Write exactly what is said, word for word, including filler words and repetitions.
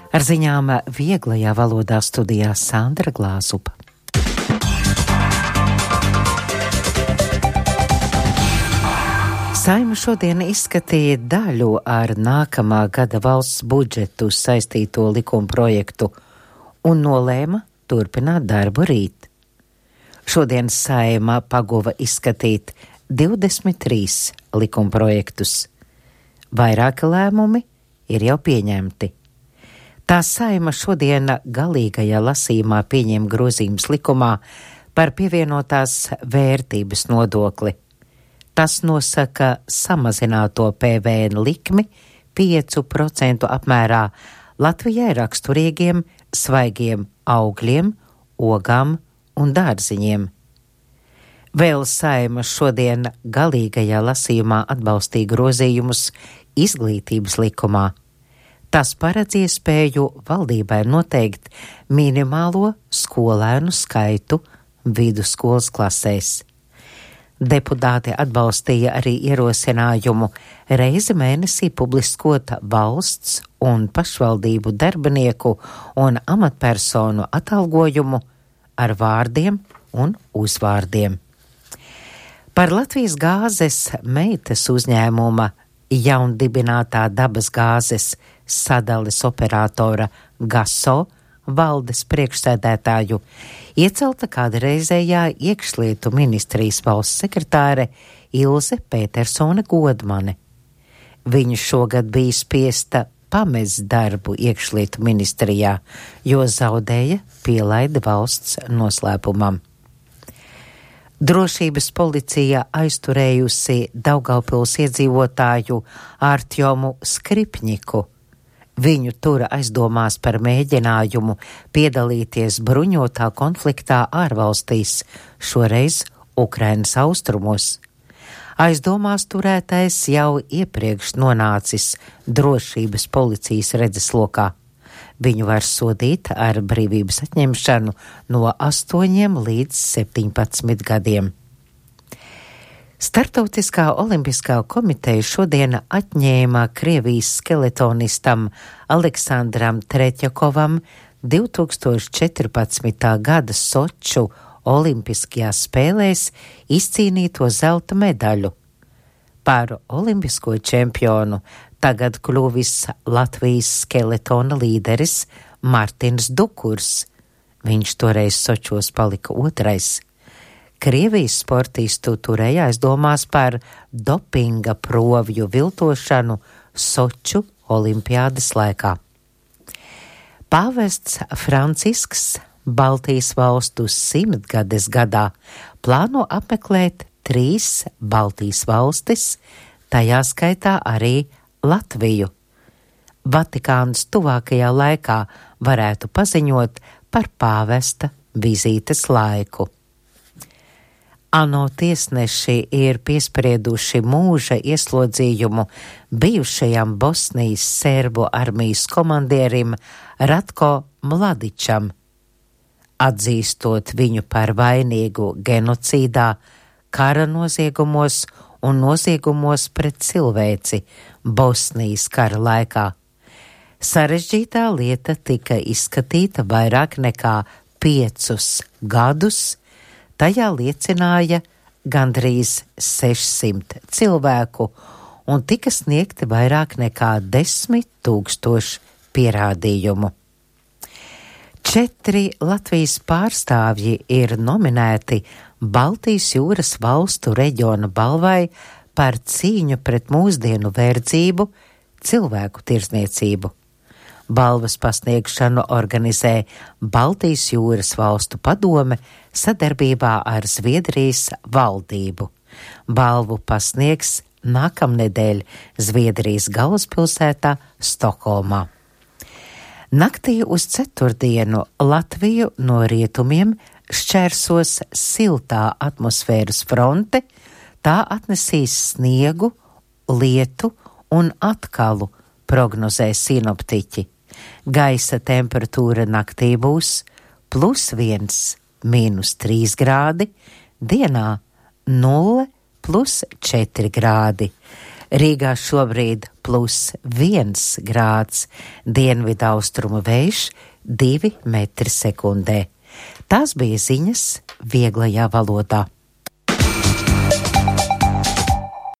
Ar ziņām vieglajā valodā studijā Sandra Glāzupa. Saeima šodien izskatīja daļu ar nākamā gada valsts budžetu saistīto likuma projektu un nolēma turpināt darbu rīt. Šodien Saeima paguva izskatīt divdesmit trīs likuma projektus. Vairāki lēmumi ir jau pieņemti. Tā Saeima šodien galīgajā lasījumā pieņem grozījumus likumā par pievienotās vērtības nodokli. Tas nosaka samazināto P V N likmi pieci procenti apmērā Latvijai raksturīgiem svaigiem augļiem, ogām un dārziņiem. Vēl Saeima šodien galīgajā lasījumā atbalstīja grozījumus izglītības likumā. Tas paredz iespēju valdībai noteikt minimālo skolēnu skaitu vidusskolas klasēs. Deputāti atbalstīja arī ierosinājumu reizi mēnesī publiskot valsts un pašvaldību darbinieku un amatpersonu atalgojumu ar vārdiem un uzvārdiem. Par Latvijas gāzes meitas uzņēmuma jaundibinātā dabas gāzes sadales operatora Gaso valdes priekšsēdētāju iecelta kādreizējā iekšlietu ministrijas valsts sekretāre Ilze Petersone Godmane. Viņa šogad bija spiesta pamest darbu iekšlietu ministrijā, jo zaudēja pielaidi valsts noslēpumam. Drošības policija aizturējusi Daugavpils iedzīvotāju Artjomu Skripņiku. Viņu tura aizdomās par mēģinājumu piedalīties bruņotā konfliktā ārvalstīs, šoreiz Ukrainas austrumos. Aizdomās turētais jau iepriekš nonācis drošības policijas redzeslokā. Viņu var sodīt ar brīvības atņemšanu no astoņiem līdz septiņpadsmit gadiem. Startautiskā olimpiskā komiteja šodien atņēma Krievijas skeletonistam Aleksandram Treķakovam divi tūkstoši četrpadsmitā gada Soču olimpiskajās spēlēs izcīnīto zelta medaļu. Par olimpisko čempionu tagad kļuvis Latvijas skeletona līderis Martins Dukurs. Viņš toreiz Sočos palika otrais. Krievijas sportistu turēja aizdomās par dopinga provju viltošanu Soču olimpiādes laikā. Pāvests Francisks Baltijas valstu simtgades gadā plāno apmeklēt trīs Baltijas valstis, tajā skaitā arī Latviju. Vatikāns tuvākajā laikā varētu paziņot par pāvesta vizītes laiku. ANO tiesneši ir piesprieduši mūža ieslodzījumu bijušajam Bosnijas serbu armijas komandierim Ratko Mladičam, atzīstot viņu par vainīgu genocīdā, kara noziegumos un noziegumos pret cilvēci Bosnijas kara laikā. Sarežģītā lieta tika izskatīta vairāk nekā piecus gadus. Tajā liecināja gandrīz sešsimt cilvēku un tika sniegti vairāk nekā desmit tūkstoši pierādījumu. Četri Latvijas pārstāvji ir nominēti Baltijas jūras valstu reģiona balvai par cīņu pret mūsdienu verdzību, cilvēku tirdzniecību. Balvas pasniegšanu organizē Baltijas jūras valstu padome sadarbībā ar Zviedrijas valdību. Balvu pasniegs nākamnedēļ Zviedrijas galvaspilsētā Stokholmā. Naktī uz ceturtdienu Latviju no rietumiem šķērsos siltā atmosfēras fronte, tā atnesīs sniegu, lietu un atkalu, prognozē sinoptiķi. Gaisa temperatūra naktī būs plus viens, mīnus trīs grādi, dienā nulle plus četri grādi. Rīgā šobrīd plus viens grāds, dienvidu austrumu vējš divi metri sekundē. Tās bija ziņas vieglajā valodā.